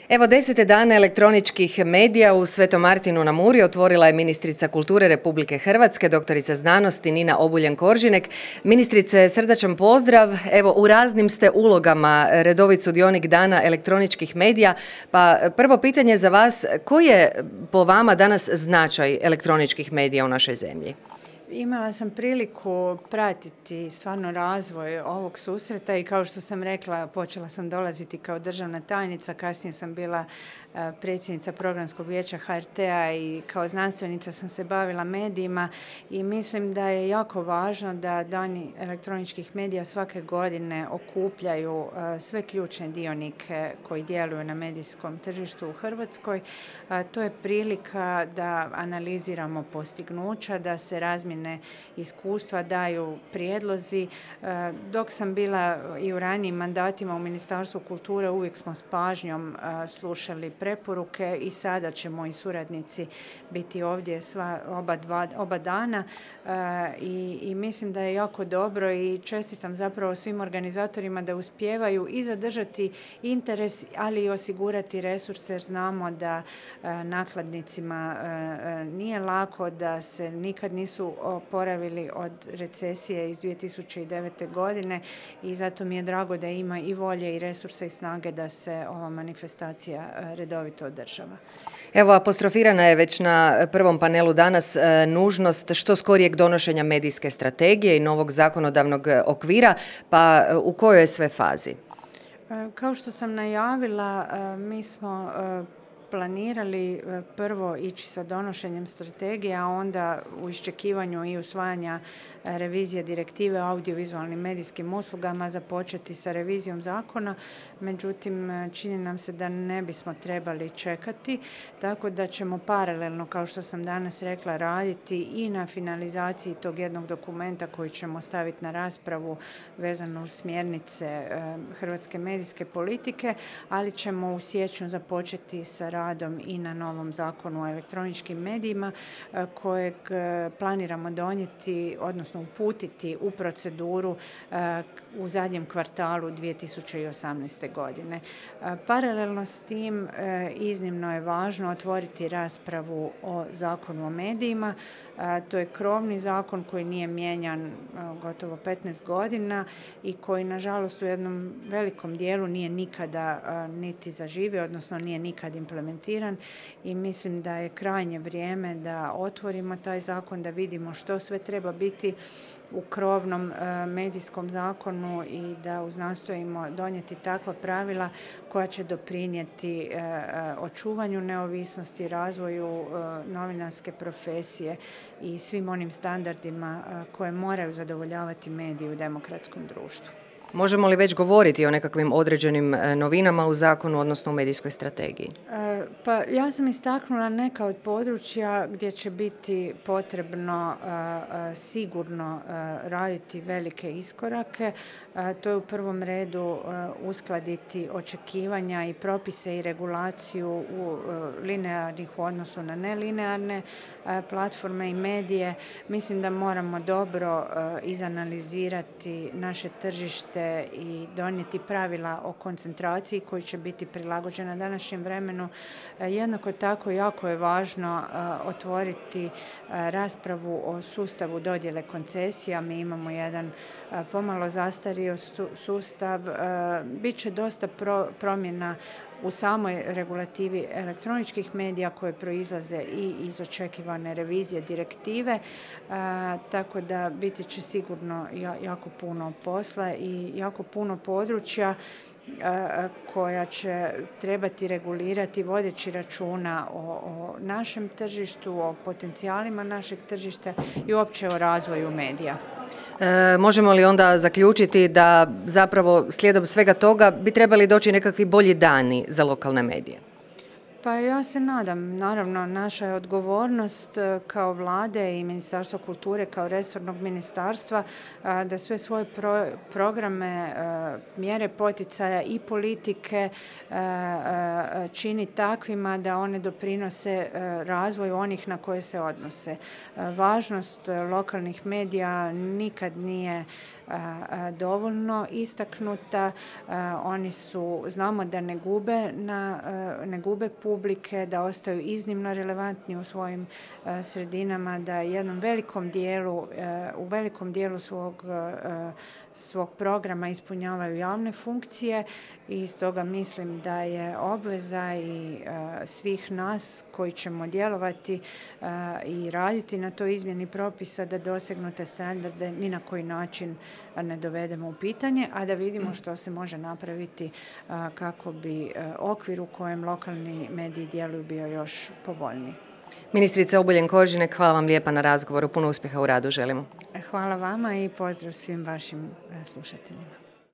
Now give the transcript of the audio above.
Evo 10. dana elektroničkih medija u Svetom Martinu na Muri otvorila je ministrica kulture Republike Hrvatske, doktorica znanosti Nina Obuljen-Koržinek. Ministrice, srdačan pozdrav. Evo, u raznim ste ulogama redovit sudionik dana elektroničkih medija. Pa prvo pitanje za vas, koji je po vama danas značaj elektroničkih medija u našoj zemlji? Imala sam priliku pratiti stvarno razvoj ovog susreta i kao što sam rekla, počela sam dolaziti kao državna tajnica, kasnije sam bila predsjednica Programskog vijeća HRT-a i kao znanstvenica sam se bavila medijima i mislim da je jako važno da dani elektroničkih medija svake godine okupljaju sve ključne dionike koji djeluju na medijskom tržištu u Hrvatskoj. To je prilika da analiziramo postignuća, da se razmjene iskustva, daju prijedlozi. Dok sam bila i u ranijim mandatima u Ministarstvu kulture, uvijek smo s pažnjom slušali preporuke i sada će moji suradnici biti ovdje oba dana i mislim da je jako dobro i čestitam zapravo svim organizatorima da uspijevaju i zadržati interes, ali i osigurati resurse jer znamo da nakladnicima nije lako, da se nikad nisu oporavili od recesije iz 2009. godine i zato mi je drago da ima i volje i resursa i snage da se ova manifestacija redovito održava. Evo, apostrofirana je već na prvom panelu danas nužnost što skorijeg donošenja medijske strategije i novog zakonodavnog okvira, pa u kojoj je sve fazi? Kao što sam najavila, mi smo planirali prvo ići sa donošenjem strategije, a onda u iščekivanju i usvajanja revizije direktive o audiovizualnim medijskim uslugama započeti sa revizijom zakona. Međutim, čini nam se da ne bismo trebali čekati, tako da ćemo paralelno, kao što sam danas rekla, raditi i na finalizaciji tog jednog dokumenta koji ćemo staviti na raspravu vezano uz smjernice hrvatske medijske politike, ali ćemo u siječnju započeti sa radom i na novom zakonu o elektroničkim medijima kojeg planiramo donijeti, odnosno uputiti u proceduru u zadnjem kvartalu 2018. godine. Paralelno s tim iznimno je važno otvoriti raspravu o zakonu o medijima. To je krovni zakon koji nije mijenjan gotovo 15 godina i koji nažalost u jednom velikom dijelu nije nikada niti zaživio, odnosno nije nikad implementiran i mislim da je krajnje vrijeme da otvorimo taj zakon, da vidimo što sve treba biti u krovnom medijskom zakonu i da uznastojimo donijeti takva pravila koja će doprinijeti očuvanju neovisnosti, razvoju novinarske profesije i svim onim standardima koje moraju zadovoljavati mediji u demokratskom društvu. Možemo li već govoriti o nekakvim određenim novinama u zakonu, odnosno u medijskoj strategiji? Pa ja sam istaknula neka od područja gdje će biti potrebno sigurno raditi velike iskorake. To je u prvom redu uskladiti očekivanja i propise i regulaciju u linearnih u odnosu na nelinearne platforme i medije. Mislim da moramo dobro izanalizirati naše tržište i donijeti pravila o koncentraciji koji će biti prilagođena današnjem vremenu. Jednako tako jako je važno otvoriti raspravu o sustavu dodjele koncesija. Mi imamo jedan pomalo zastario sustav. Biće dosta promjena u samoj regulativi elektroničkih medija koje proizlaze i iz očekivane revizije direktive, tako da biti će sigurno jako puno posla i jako puno područja koja će trebati regulirati vodeći računa o našem tržištu, o potencijalima našeg tržišta i uopće o razvoju medija. Možemo li onda zaključiti da zapravo slijedom svega toga bi trebali doći nekakvi bolji dani za lokalne medije? Pa ja se nadam, naravno naša je odgovornost kao Vlade i Ministarstva kulture kao resornog ministarstva da sve svoje programe, mjere poticaja i politike čini takvima da one doprinose razvoju onih na koje se odnose. Važnost lokalnih medija nikad nije dovoljno istaknuta. Oni znamo da ne gube publike, da ostaju iznimno relevantni u svojim sredinama, da u velikom dijelu svog programa ispunjavaju javne funkcije i stoga mislim da je obveza i svih nas koji ćemo djelovati i raditi na toj izmjeni propisa da dosegnu te standarde ni na koji način ne dovedemo u pitanje, a da vidimo što se može napraviti kako bi okvir u kojem lokalni mediji djeluju bio još povoljniji. Ministrica Obuljen Koržinek, hvala vam lijepa na razgovoru. Puno uspjeha u radu želimo. Hvala vama i pozdrav svim vašim slušateljima.